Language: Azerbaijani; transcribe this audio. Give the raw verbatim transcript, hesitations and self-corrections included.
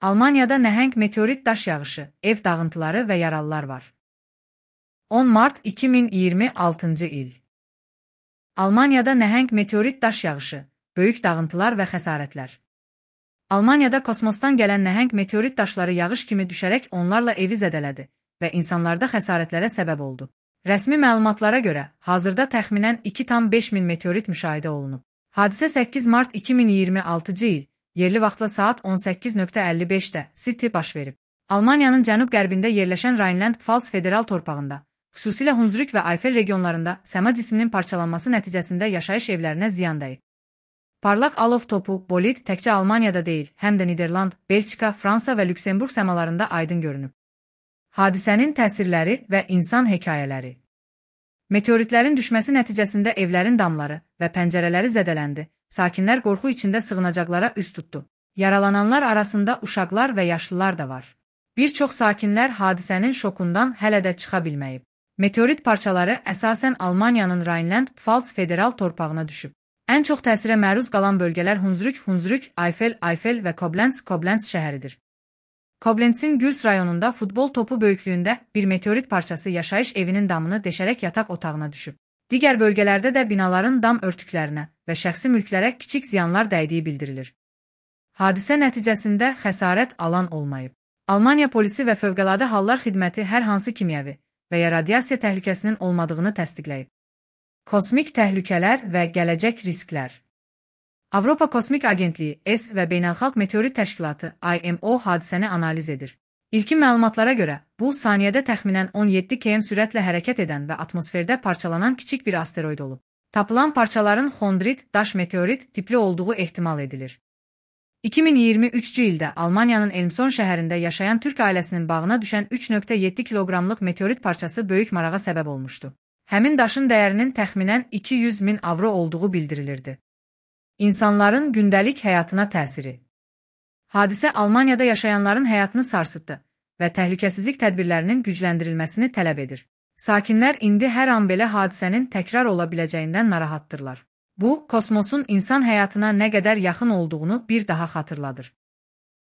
Almaniyada nəhəng meteorit daş yağışı, ev dağıntıları və yaralılar var. on mart iki min iyirmi altıncı il. Almaniyada nəhəng meteorit daş yağışı, böyük dağıntılar və xəsarətlər. Almaniyada kosmosdan gələn nəhəng meteorit daşları yağış kimi düşərək onlarla evi zədələdi və insanlarda xəsarətlərə səbəb oldu. Rəsmi məlumatlara görə, hazırda təxminən iki tam beş min meteorit müşahidə olunub. Hadisə səkkiz mart iki min iyirmi altıncı il, yerli vaxtla saat on səkkiz əlli beşdə City baş verib. Almaniyanın cənub-qərbində yerləşən Rheinland-Pfalz federal torpağında, xüsusilə Hunsrück və Eifel regionlarında səma cisminin parçalanması nəticəsində yaşayış evlərinə ziyan dəyib. Parlaq alov topu, bolid təkcə Almaniyada deyil, həm də Niderland, Belçika, Fransa və Lüksemburq səmalarında aydın görünüb. Hadisənin təsirləri və insan hekayələri. Meteoritlərin düşməsi nəticəsində evlərin damları və pəncərələri zədələndi, sakinlər qorxu içində sığınacaqlara üst tutdu. Yaralananlar arasında uşaqlar və yaşlılar da var. Bir çox sakinlər hadisənin şokundan hələ də çıxa bilməyib. Meteorit parçaları əsasən Almaniyanın Rheinland-Pfalz federal torpağına düşüb. Ən çox təsirə məruz qalan bölgələr Hunsrück, Hunsrück, Eifel, Eifel və Koblenz, Koblenz şəhəridir. Koblenzin Güls rayonunda futbol topu böyüklüyündə bir meteorit parçası yaşayış evinin damını deşərək yataq otağına düşüb. Digər bölgələrdə də binaların dam örtüklərinə və şəxsi mülklərə kiçik ziyanlar dəydiyi bildirilir. Hadisə nəticəsində xəsarət alan olmayıb. Almaniya polisi və Fövqəladə Hallar Xidməti hər hansı kimyəvi və ya radiasiya təhlükəsinin olmadığını təsdiqləyib. Kosmik təhlükələr və gələcək risklər. Avropa Kosmik Agentliyi E S və Beynəlxalq Meteorit Təşkilatı I M O hadisəni analiz edir. İlkin məlumatlara görə, bu saniyədə təxminən on yeddi kilometr sürətlə hərəkət edən və atmosferdə parçalanan kiçik bir asteroid olub. Tapılan parçaların xondrit, daş meteorit tipli olduğu ehtimal edilir. iki min iyirmi üçüncü ildə Almaniyanın Elmshorn şəhərində yaşayan Türk ailəsinin bağına düşən üç nöqtə yeddi kiloqramlıq meteorit parçası böyük marağa səbəb olmuşdu. Həmin daşın dəyərinin təxminən iki yüz min avro olduğu bildirilirdi. İnsanların gündəlik həyatına təsiri. Hadisə Almaniyada yaşayanların həyatını sarsıtdı və təhlükəsizlik tədbirlərinin gücləndirilməsini tələb edir. Sakinlər indi hər an belə hadisənin təkrar ola biləcəyindən narahatdırlar. Bu, kosmosun insan həyatına nə qədər yaxın olduğunu bir daha xatırladır.